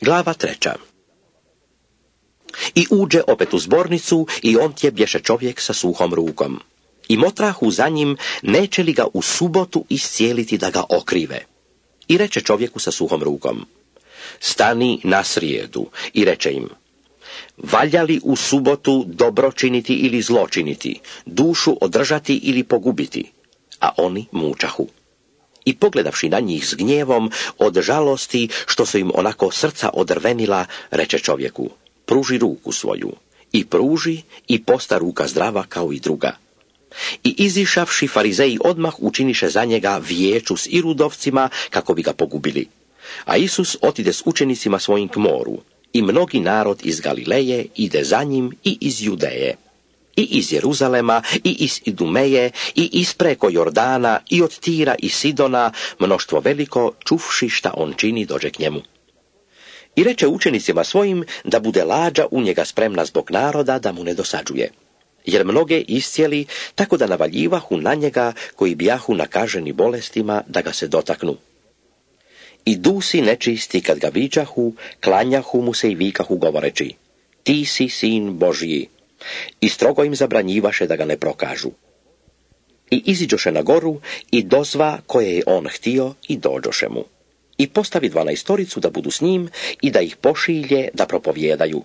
Glava 3. I uđe opet u zbornicu i on tje bješe čovjek sa suhom rukom. I motrahu za njim, neće li ga u subotu iscijeliti da ga okrive. I reče čovjeku sa suhom rukom: stani na srijedu. I reče im: valja li u subotu dobro činiti ili zlo činiti, dušu održati ili pogubiti? A oni mučahu. I pogledavši na njih s gnjevom, od žalosti što su im onako srca odrvenila, reče čovjeku: pruži ruku svoju. I pruži, i posta ruka zdrava kao i druga. I izišavši, farizeji odmah učiniše za njega vijeću s irudovcima kako bi ga pogubili. A Isus otide s učenicima svojim k moru. I mnogi narod iz Galileje ide za njim i iz Judeje, i iz Jeruzalema, i iz Idumeje, i ispreko Jordana, i od Tira i Sidona, mnoštvo veliko, čuvši šta on čini, dođe k njemu. I reče učenicima svojim da bude lađa u njega spremna zbog naroda, da mu ne dosađuje. Jer mnoge iscijeli, tako da navaljivahu na njega koji bijahu nakaženi bolestima da ga se dotaknu. I dusi nečisti kad ga viđahu, klanjahu mu se i vikahu govoreći: ti si sin Božji. I strogo im zabranjivaše da ga ne prokažu. I iziđoše na goru i dozva koje je on htio i dođoše mu. I postavi 12 da budu s njim i da ih pošilje da propovjedaju.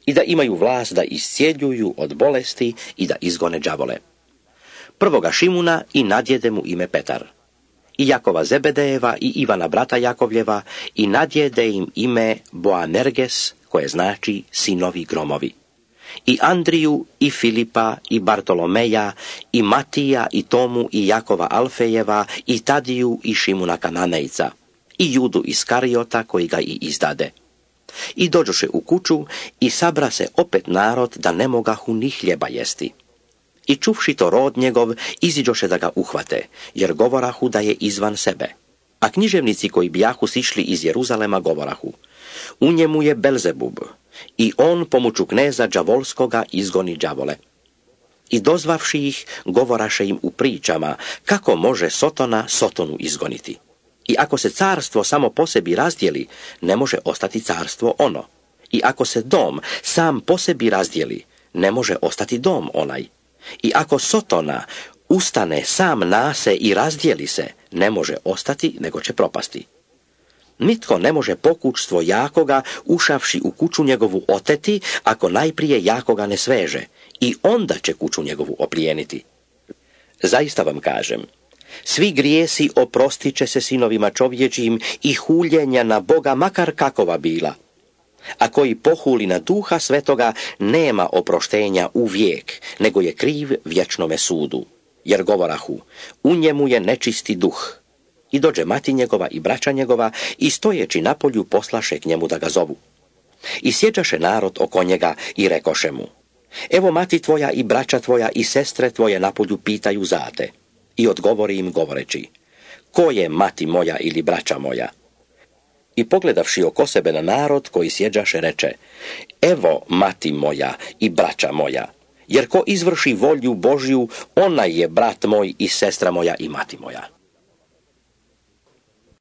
I da imaju vlast da iscijeljuju od bolesti i da izgone đavole. Prvoga Šimuna i nadjede mu ime Petar. I Jakova Zebedejeva i Ivana brata Jakovljeva i nadjede im ime Boanerges, koje znači sinovi gromovi. I Andriju i Filipa i Bartolomeja i Matija i Tomu i Jakova Alfejeva i Tadiju i Šimuna Kananejca i Judu Iskarijota koji ga i izdade. I dođoše u kuću i sabra se opet narod da ne mogahu ni hljeba jesti. I čuvši to rod njegov, iziđoše da ga uhvate, jer govorahu da je izvan sebe. A književnici koji bijahu sišli iz Jeruzalema govorahu: u njemu je Belzebub, i on pomoću kneza đavolskoga izgoni đavole. I dozvavši ih, govoraše im u pričama, kako može Sotona Sotonu izgoniti. I ako se carstvo samo po sebi razdijeli, ne može ostati carstvo ono. I ako se dom sam po sebi razdijeli, ne može ostati dom onaj. I ako Sotona ustane sam nase i razdijeli se, ne može ostati, nego će propasti. Nitko ne može pokućstvo jakoga, ušavši u kuću njegovu oteti, ako najprije jakoga ne sveže, i onda će kuću njegovu oplijeniti. Zaista vam kažem, svi grijesi oprostit će se sinovima čovječijim i huljenja na Boga, makar kakova bila. A koji pohuli na Duha Svetoga, nema oproštenja u vijek, nego je kriv vječnome sudu. Jer govorahu: u njemu je nečisti duh. I dođe mati njegova i braća njegova i stojeći na polju poslaše k njemu da ga zovu. I sjeđaše narod oko njega i rekoše mu: evo mati tvoja i braća tvoja i sestre tvoje na polju pitaju za te. I odgovori im govoreći: ko je mati moja ili braća moja? I pogledavši oko sebe na narod koji sjeđaše, reče: evo mati moja i braća moja, jer ko izvrši volju Božju, ona je brat moj i sestra moja i mati moja.